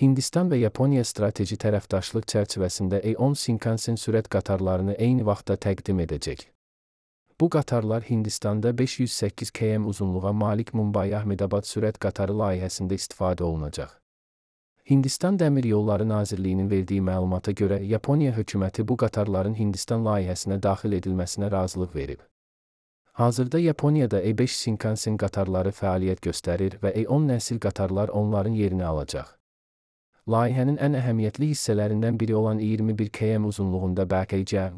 Hindistan və Yaponiya strateji tərəfdaşlıq çərçivəsində A10 Shinkansen sürət qatarlarını eyni vaxtda təqdim edəcək. Bu qatarlar Hindistanda 508 km uzunluğa malik Mumbai-Ahmedabad sürət qatarı layihəsində istifadə olunacaq. Hindistan Dəmir Yolları Nazirliyinin verdiyi məlumata görə Yaponiya hökuməti bu qatarların Hindistan layihəsinə daxil edilməsinə razılıq verib. Hazırda Yaponiyada A5 Shinkansen qatarları fəaliyyət göstərir və A10 nəsil qatarlar onların yerini alacaq. Layihənin ən əhəmiyyətli hissələrindən biri olan 21 km uzunluğunda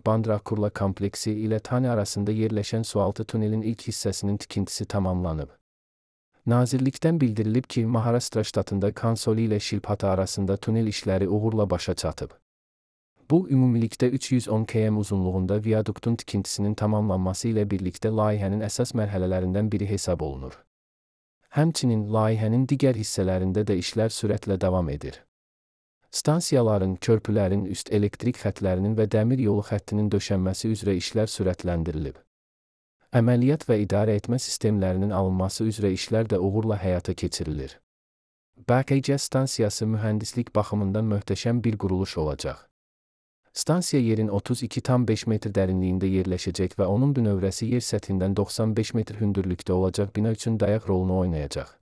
Bandra-Kurla kompleksi ilə Thane arasında yerləşən sualtı tunelin ilk hissəsinin tikintisi tamamlanıb. Nazirlikdən bildirilib ki, Maharashtra ştatında Kansoli ilə Shilpata arasında tunel işləri uğurla başa çatıb. Bu, ümumilikdə 310 km uzunluğunda viaduktun tikintisinin tamamlanması ilə birlikdə layihənin əsas mərhələlərindən biri hesab olunur. Həmçinin, layihənin digər hissələrində də işlər sürətlə davam edir. Stansiyaların, körpülərin, üst elektrik xətlərinin və dəmir yolu xəttinin döşənməsi üzrə işlər sürətləndirilib. Əməliyyat və idarə etmə sistemlərinin alınması üzrə işlər də uğurla həyata keçirilir. BKC stansiyası mühəndislik baxımından möhtəşəm bir quruluş olacaq. Stansiya yerin 32,5 metr dərinliyində yerləşəcək və onun bünövrəsi yer səthindən 95 metr hündürlükdə olacaq bina üçün dayaq rolunu oynayacaq.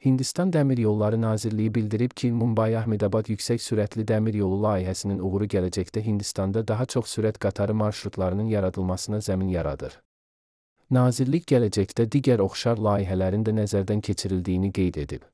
Hindistan Dəmir Yolları Nazirliyi bildirib ki, Mumbai-Ahmedabad yüksək sürətli dəmir yolu layihəsinin uğuru gələcəkdə Hindistanda daha çox sürət qatarı marşrutlarının yaradılmasına zəmin yaradır. Nazirlik gələcəkdə digər oxşar layihələrin də nəzərdən keçirildiyini qeyd edib.